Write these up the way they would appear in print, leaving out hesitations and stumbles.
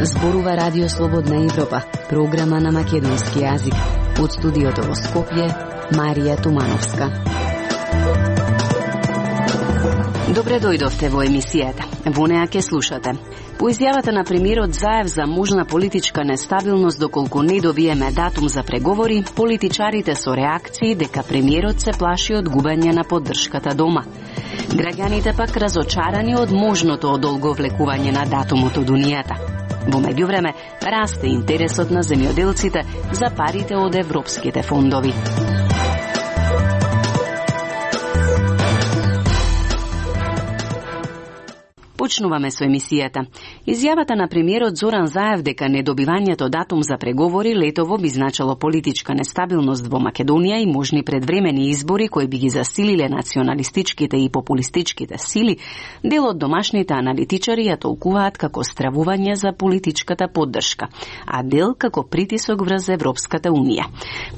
Зборува Радио Слободна Европа, програма на македонски јазик. Од студиото во Скопје, Марија Тумановска. Добре дојдовте во емисијата. Во неа ќе слушате. По изјавата на премиерот Заев за можна политичка нестабилност доколку не добиеме датум за преговори, политичарите со реакции дека премиерот се плаши од губење на поддршката дома. Граѓаните пак разочарани од можното одолговлекување на датумот од Унијата. Во меѓувреме, расте интересот на земјоделците за парите од европските фондови. Почнуваме со емисијата. Изјавата на премиерот Зоран Заев дека недобивањето датум за преговори летово би значило политичка нестабилност во Македонија и можни предвремени избори кои би ги засилиле националистичките и популистичките сили, дел од домашните аналитичари ја толкуваат како стравување за политичката поддршка, а дел како притисок врз Европската Унија.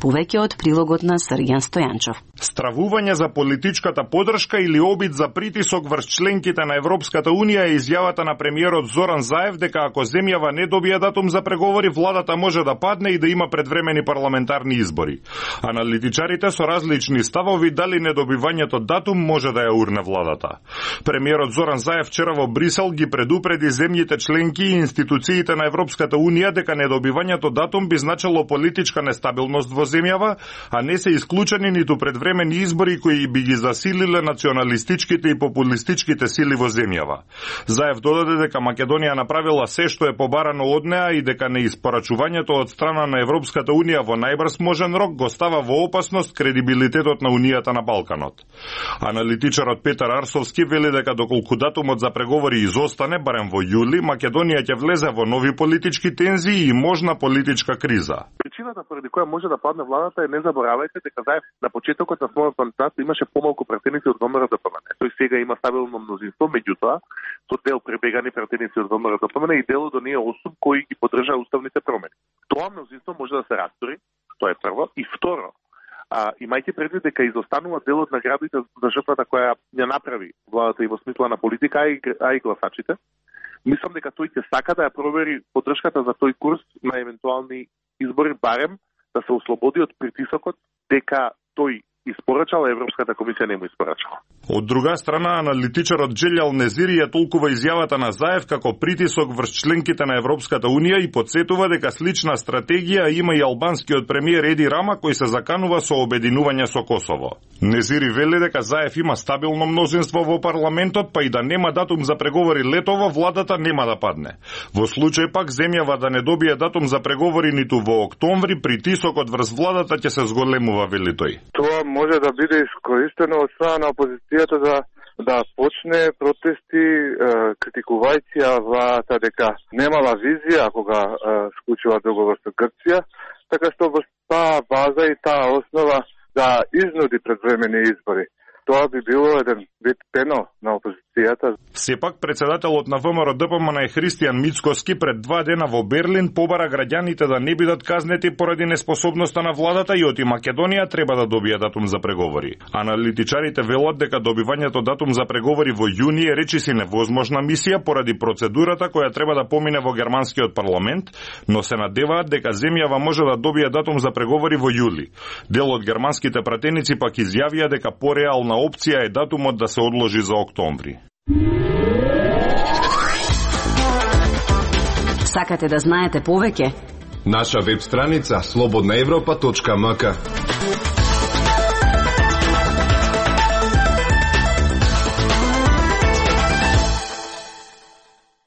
Повеќе од прилогот на Срѓан Стојанчов. Стравување за политичката поддршка или обид за притисок врз членките на Европската Унија е изјавата на премиерот Зоран Заев дека ако земјава не добие датум за преговори, владата може да падне и да има предвремени парламентарни избори. Аналитичарите со различни ставови дали недобивањето датум може да ја урне владата. Премиерот Зоран Заев вчера во Брисел ги предупреди земјите членки и институциите на Европската Унија дека недобивањето датум би значило политичка нестабилност во земјава, а не се исклучени ниту предвремени избори кои би ги засилиле националистичките и популистичките сили во земјава. Заев додаде дека Македонија направила се што е побарано од неа и дека неиспорачувањето од страна на Европската Унија во најбрз можен рок го става во опасност кредибилитетот на Унијата на Балканот. Аналитичарот Петар Арсовски вели дека доколку датумот за преговори изостане барем во јули, Македонија ќе влезе во нови политички тензии и можна политичка криза. Причината поради која може да падне владата е, не заборавајте дека Заев на почетокот на својот мандат имаше помалку пратеници од ВМРО-ДПМН. Тој сега има стабилно мнозинство, меѓутоа со дел пребегани пратеници од ВМРО-ДПМН и дел од оние 8 кои ги поддржаа уставните промени. Тоа мнозинство може да се растори, тоа е прво, и второ, имајте предвид дека изостанува дел од наградите за жртвата која ја направи владата и во смисла на политика, а и гласачите. Мислам дека тој ќе сака да ја провери поддршката за тој курс на евентуални избори, барем да се ослободи од притисокот дека тој испорачала, Европската комисија не му испорачала. Од друга страна, аналитичарот Джелјал Незири ја толкува изјавата на Заев како притисок врз членките на Европската Унија и потсетува дека слична стратегија има и албанскиот премиер Еди Рама кој се заканува со обединување со Косово. Незири вели дека Заев има стабилно мнозинство во парламентот, па и да нема датум за преговори летово, владата нема да падне. Во случај пак земјава да не добие датум за преговори ниту во октомври, притисокот врз владата ќе се зголемува, вели тој. Тоа може да биде искористено од страна на опозицијата да почне протести, критикувајќи ја владата дека немала визија кога склучува договор со Грција, така што во таа база и таа основа да изнуди предвремени избори. Тоа би било еден вид пено на опозицијата. Сепак, председателот на ВМРО-ДПМН Христијан Мицкоски пред 2 дена во Берлин побара граѓаните да не бидат казнети поради неспособноста на владата и оти Македонија треба да добие датум за преговори. Аналитичарите велат дека добивањето датум за преговори во јуни е речиси невозможна мисија поради процедурата која треба да помине во германскиот парламент, но се надеваат дека земјава може да добие датум за преговори во јули. Дел од германските пратеници пак изјавија дека пореална опција е датумот да се одложи за октомври. Сакате да знаете повеќе? Наша веб страница slobodnaevropa.mk.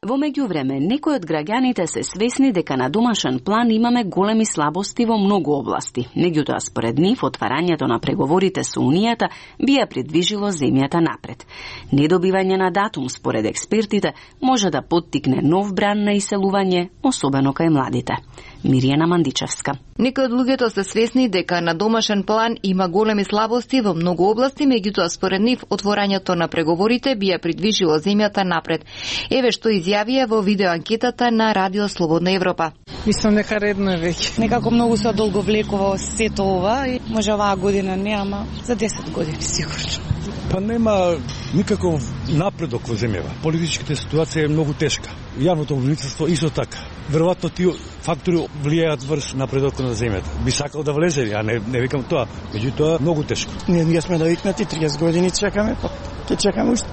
Во меѓувреме, некои од граѓаните се свесни дека на домашен план имаме големи слабости во многу области. Меѓутоа, според нив, отварањето на преговорите со Унијата би ја придвижило земјата напред. Недобивање на датум, според експертите, може да поттикне нов бран на иселување, особено кај младите. Миријана Мандичевска. Некои од луѓето се свесни дека на домашен план има големи слабости во многу области, меѓутоа според нив отворањето на преговорите би ја придвижило земјата напред. Еве што изјавија во видеоанкетата на Радио Слободна Европа. Мислам дека редно е веќе. Некако многу се одолговлекува сето ова и може оваа година не, ама за 10 години сигурно. Па нема никаков напредок во земјава. Политичката ситуација е многу тешка. Јавното обвинителство исто така. Веројатно тие фактори влијаат врз напредокот на земјата. Би сакал да влезе, ја не викам тоа, меѓутоа многу тешко. Ние сме навикнати 30 години чекаме, па ќе чекаме уште.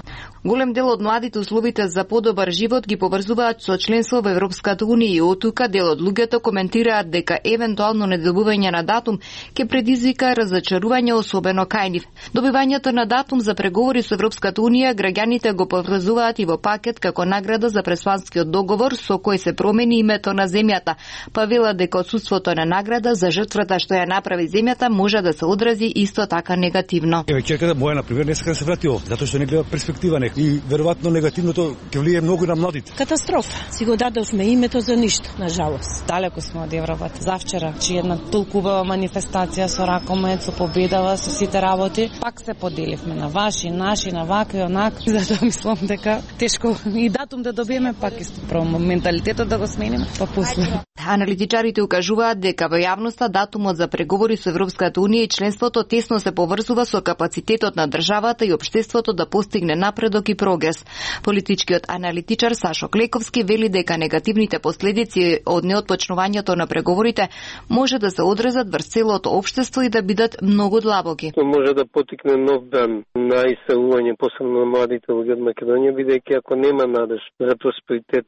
Голем дел од младите условите за подобар живот ги поврзуваат со членство во Европската унија и оттука дел од луѓето коментираат дека евентуално недобивање на датум ќе предизвика разочарување особено кај нив. Добивањето на датум за преговори со Европската унија граѓаните го поврзуваат и во пакет како награда за пресванскиот договор со кој се промени името на земјата, па велат дека отсуството на награда за жртвата што ја направи земјата може да се одрази исто така негативно. Еве ќерката моја на пример не сака да се врати овде, затоа што не гледа перспектива и веројатно негативното ќе влие многу на младите. Катастрофа. Си го дадовме името за ништо, на жалост. Далеко сме од Европата. Завчера, че една толку убава манифестација со ракомет, со победава, со сите работи, пак се поделивме на ваши, наши, на вака и онак. Затоа мислам дека тешко и датум да добиеме, пак исто право менталитетот да го смениме, па после. Аналитичарите укажуваат дека во јавноста датумот за преговори со Европската унија и членството тесно се поврзува со капацитетот на државата и општеството да постигне напредок и прогрес. Политичкиот аналитичар Сашо Клековски вели дека негативните последици од неотпочнувањето на преговорите може да се одразат врз целото општество и да бидат многу длабоки. Може да потикне нов дан на иселување, посебно на младите луѓе од Македонија, бидејќи ако нема надеж за просперитет,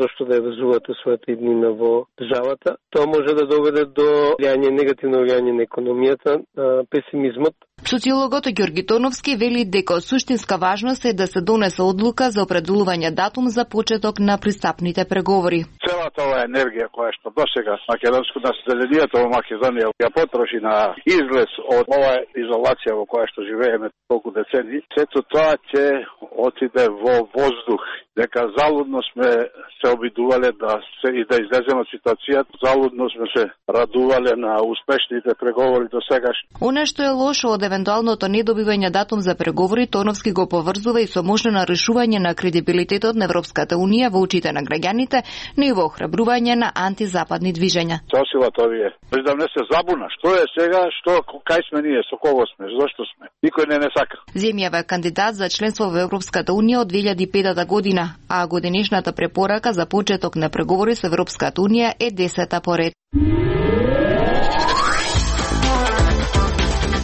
зошто да ја везувате својата иднина во државата, тоа може да доведе до негативно влијање на економијата, песимизмот. Социологот Ѓорги Тоновски вели дека од суштинска важност е да се донесе одлука за определување датум за почеток на пристапните преговори. Целата оваа енергија која што досега македонско населението во Македонија ја потроши на излез од оваа изолација во која што живееме толку децени, сето тоа ќе отиде во воздух. Дека залудно сме се обидувале да излеземе од ситуацијата, залудно сме се радувале на успешните преговори до сегаш. Она што е лошо од евентуалното недобивање датум за преговори, Тоновски го поврзува и со можно нарушување на кредибилитетот на Европската унија во очите на граѓаните, но и во охрабрување на антизападни движења. Сосилат овие. Да не се забуна, што е сега, кај сме ние, со кого сме, зошто сме. Никој не сака. Земјава е кандидат за членство во Европската унија од 2005 година, а годинешната препорака за почеток на преговори со Европската унија е 10-та поред.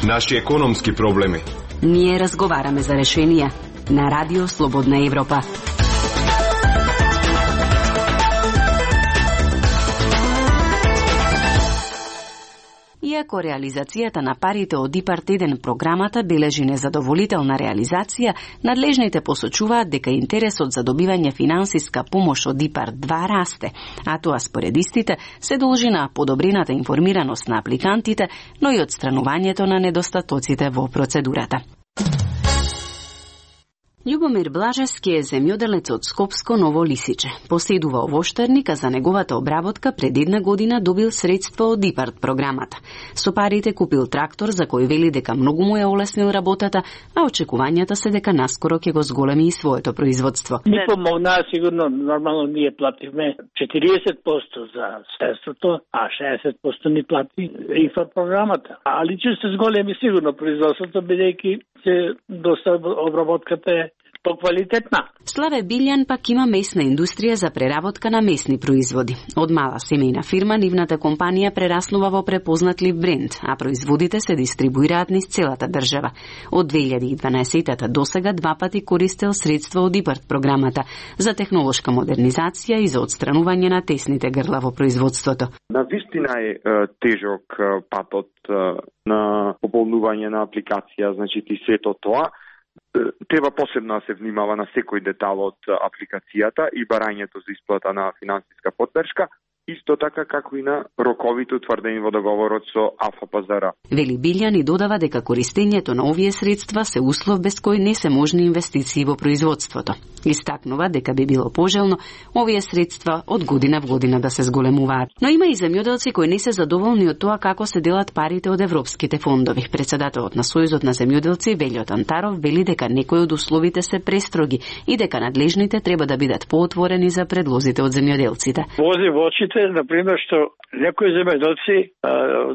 Наши економски проблеми. Ние разговараме за решенија на Радио Слободна Европа. Иако реализацијата на парите од ИПАРД-1 програмата бележи незадоволителна реализација, надлежните посочуваат дека интересот за добивање финансиска помош од ИПАРД-2 расте, а тоа според истите се должи на подобрената информираност на апликантите, но и отстранувањето на недостатоците во процедурата. Љубомир Блажевски е земјоделец од Скопско Ново Лисиче. Поседува овоштарник, а за неговата обработка пред една година добил средства од ИПАРД програмата. Со парите купил трактор за кој вели дека многу му е олеснил работата, а очекувањата се дека наскоро ќе го зголеми и своето производство. Ни помогнаа сигурно, нормално ние плативме 40% за средството, а 60% ни плати ИПАРД програмата. Али че се зголеми сигурно производството, бидејќи доста обработката е поквалитетна. Славе Билјан пак има месна индустрија за преработка на месни производи. Од мала семејна фирма, нивната компанија прераснува во препознатлив бренд, а производите се дистрибуираат низ целата држава. Од 2012 до сега 2 пати користел средства од ИПАРД програмата за технолошка модернизација и за отстранување на тесните грла во производството. Навистина е тежок патот на пополнување на апликација, значи и сето тоа. Треба посебно да се внимава на секој детал од апликацијата и барањето за исплата на финансиска поддршка, исто така како и на роковите утврдени во договорот со АФПЗР. Вели Билјан и додава дека користењето на овие средства се услов без кој не се можни инвестиции во производството. Истакнува дека би било пожелно овие средства од година в година да се зголемуваат. Но има и земјоделци кои не се задоволни од тоа како се делат парите од европските фондови. Председателот на Сојузот на земјоделци Велјо Тантаров вели дека некои од условите се престроги и дека надлежните треба да бидат поотворени за предлозите од земјоделците. Вози во очите, например, што некои земјоделци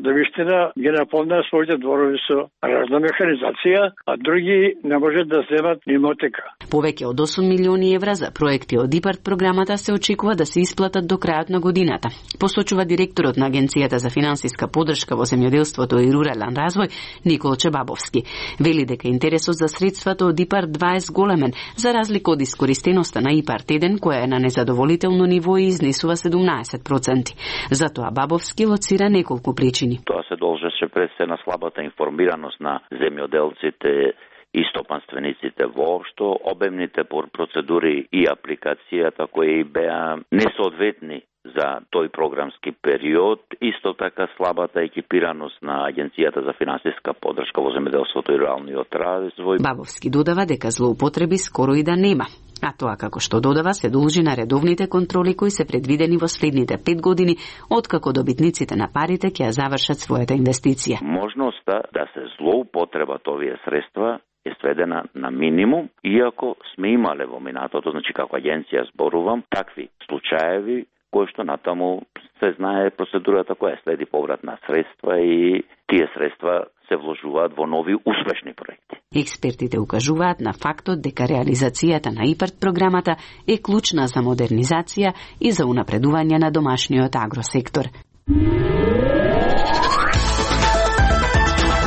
да вистина ги наполнаа своите дворови со разна механизација, а други не можат да земат ни мотика. Повеќе од 8 милиони евра за проекти од ИПАРТ програмата се очекува да се исплатат до крајот на годината. Посочува директорот на Агенцијата за финансиска поддршка во земјоделството и рурален развој Никол Чебабовски. Вели дека интересот за средствата од ИПАРТ 2 е зголемен, за разлика од искористеноста на ИПАРТ 1, која е на незадоволително ниво и изнесува 17%. Затоа Бабовски лоцира неколку причини. Тоа се должеше пред се на слабата информираност на земјоделците и стопанствениците воопшто, обемните процедури и апликацијата кои беа несоодветни за тој програмски период, исто така слабата екипираност на Агенцијата за финансиска поддршка во земјоделството и руралниот развој. Бабовски додава дека злоупотреби скоро и да нема. А тоа, како што додава, се должи на редовните контроли кои се предвидени во следните 5 години, откако добитниците на парите ќе ја завршат својата инвестиција. Можноста да се злоупотребат овие средства е сведена на минимум, иако сме имале во минатото, значи како агенција зборувам, такви случаеви кои што натаму се знае процедурата која следи поврат на средства и тие средства се вложуваат во нови успешни проекти. Експертите укажуваат на фактот дека реализацијата на ИПАРТ програмата е клучна за модернизација и за унапредување на домашниот агросектор.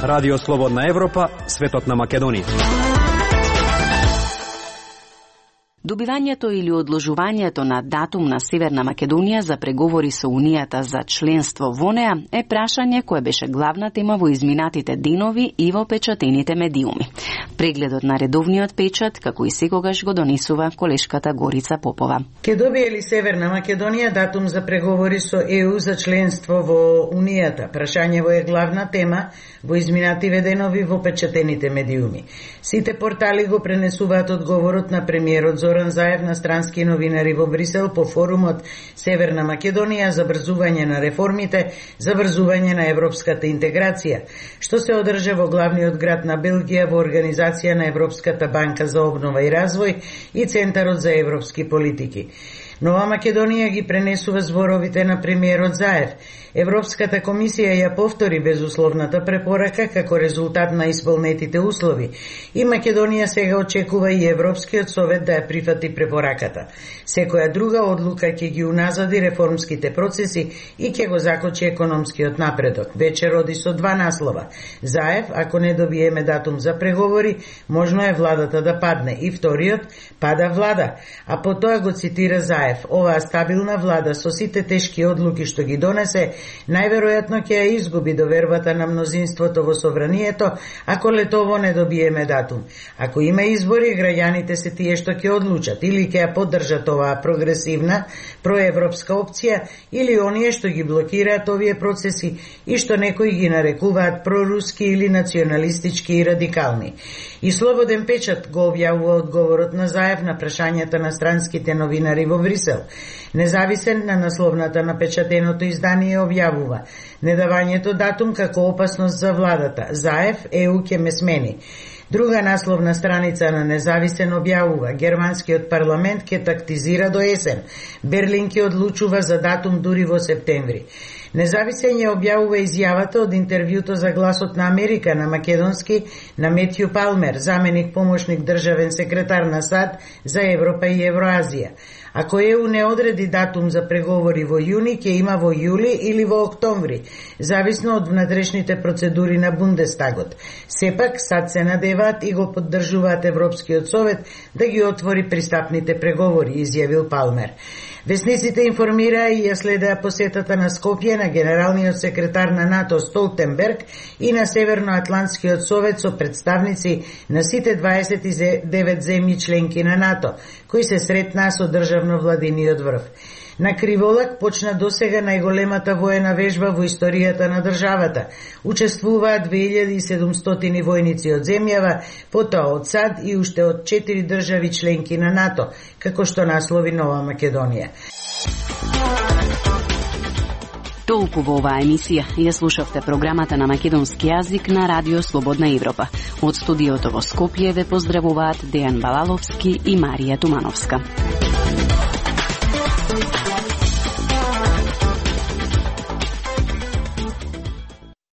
Радио Слободна Европа, светот на Македонија. Добивањето или одложувањето на датум на Северна Македонија за преговори со Унијата за членство во неа е прашање кое беше главна тема во изминатите денови и во печатените медиуми. Прегледот на редовниот печат, како и секогаш, го донесува колешката Горица Попова. Ке добие ли Северна Македонија датум за преговори со ЕУ за членство во Унијата? Прашањево е главна тема во изминативе денови во печатените медиуми. Сите портали го пренесуваат одговорот на премиерот Зоран Заев на странски новинари во Брисел по форумот Северна Македонија за брзување на реформите, за брзување на европската интеграција, што се одржа во главниот град на Белгија во организација на Европската банка за обнова и развој и Центарот за европски политики. Нова Македонија ги пренесува зборовите на премиерот Заев. Европската комисија ја повтори безусловната препорака како резултат на исполнетите услови и Македонија сега очекува и Европскиот совет да ја прифати препораката. Секоја друга одлука ќе ги уназади реформските процеси и ќе го закочи економскиот напредок. Вече роди со 2 наслова. Заев, ако не добиеме датум за преговори, можно е владата да падне. И вториот, пада влада. А потоа го цитира Заев. Оваа стабилна влада со сите тешки одлуки што ги донесе, најверојатно ќе ја изгуби довербата на мнозинството во собранието, ако летово не добиеме датум. Ако има избори, граѓаните се тие што ќе одлучат, или ќе ја поддржат оваа прогресивна, проевропска опција, или оние што ги блокираат овие процеси и што некои ги нарекуваат проруски или националистички и радикални. И Слободен печат го објавува одговорот на Заев на прашањата на странските новинари во Брисел. Независен на насловната на печатеното издание објавува недавањето датум како опасност за владата. Заев, ЕУ ќе ме смени. Друга насловна страница на Независен објавува германскиот парламент ќе тактизира до есен. Берлин ќе одлучува за датум дури во септември. Независен ја објавува изјавата од интервјуто за Гласот на Америка на македонски на Метју Палмер, заменик помошник државен секретар на САД за Европа и Евроазија. Ако ЕУ не одреди датум за преговори во јуни, ќе има во јули или во октомври, зависно од внатрешните процедури на Бундестагот. Сепак, САД се надеваат и го поддржуваат Европскиот совет да ги отвори пристапните преговори, изјавил Палмер. Весниците информираа и ја следеа посетата на Скопје на генералниот секретар на НАТО Столтенберг и на Северноатлантскиот совет со представници на сите 29 земји членки на НАТО, кои се сретнаа со државно-владиниот врв. На Криволак почна досега најголемата воена вежба во историјата на државата. Учествуваат 2700 војници од земјава, потоа од САД и уште од 4 држави членки на НАТО, како што наслови Нова Македонија. Толку во оваа емисија. Ја слушавте програмата на македонски јазик на Радио Слободна Европа. Од студиото во Скопје ве поздравуваат Дејан Балаловски и Марија Тумановска.